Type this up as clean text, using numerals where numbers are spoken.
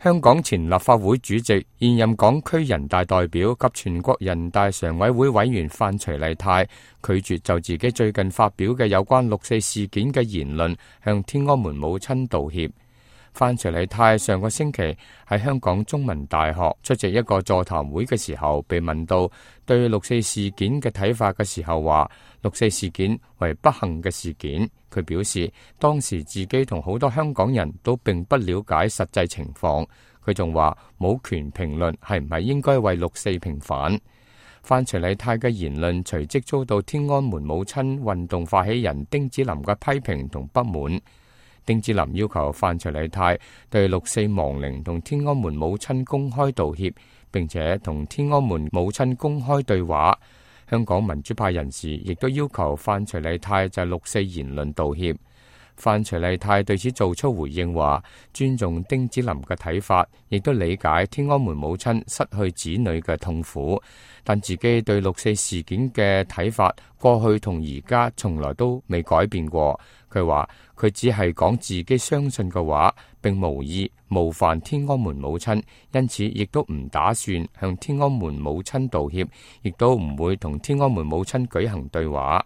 香港前立法會主席、現任港區人大代表及全國人大常委會委員范徐麗泰拒絕就自己最近發表嘅有關六四事件嘅言論向天安門母親道歉。范徐麗泰上個星期喺香港中文大學出席一個座談會嘅時候，被問到對六四事件嘅睇法嘅時候，話六四事件為不幸嘅事件。佢表示當時自己同好多香港人都並不了解實際情況。佢仲話冇權評論係唔係應該為六四平反。范徐麗泰嘅言論隨即遭到天安門母親運動發起人丁子霖嘅批評同不滿。丁子霖要求范徐麗泰對六四亡靈同天安門母親公開道歉，並且同天安門母親公開對話。香港民主派人士亦都要求范徐麗泰就六四言論道歉。范徐麗泰對此做出回應，話尊重丁子霖嘅睇法，亦都理解天安門母親失去子女嘅痛苦，但自己對六四事件嘅睇法過去同而家從來都未改變過。佢話佢只係講自己相信嘅話，並無意冒犯天安門母親，因此亦都唔打算向天安門母親道歉，亦都唔會同天安門母親舉行對話。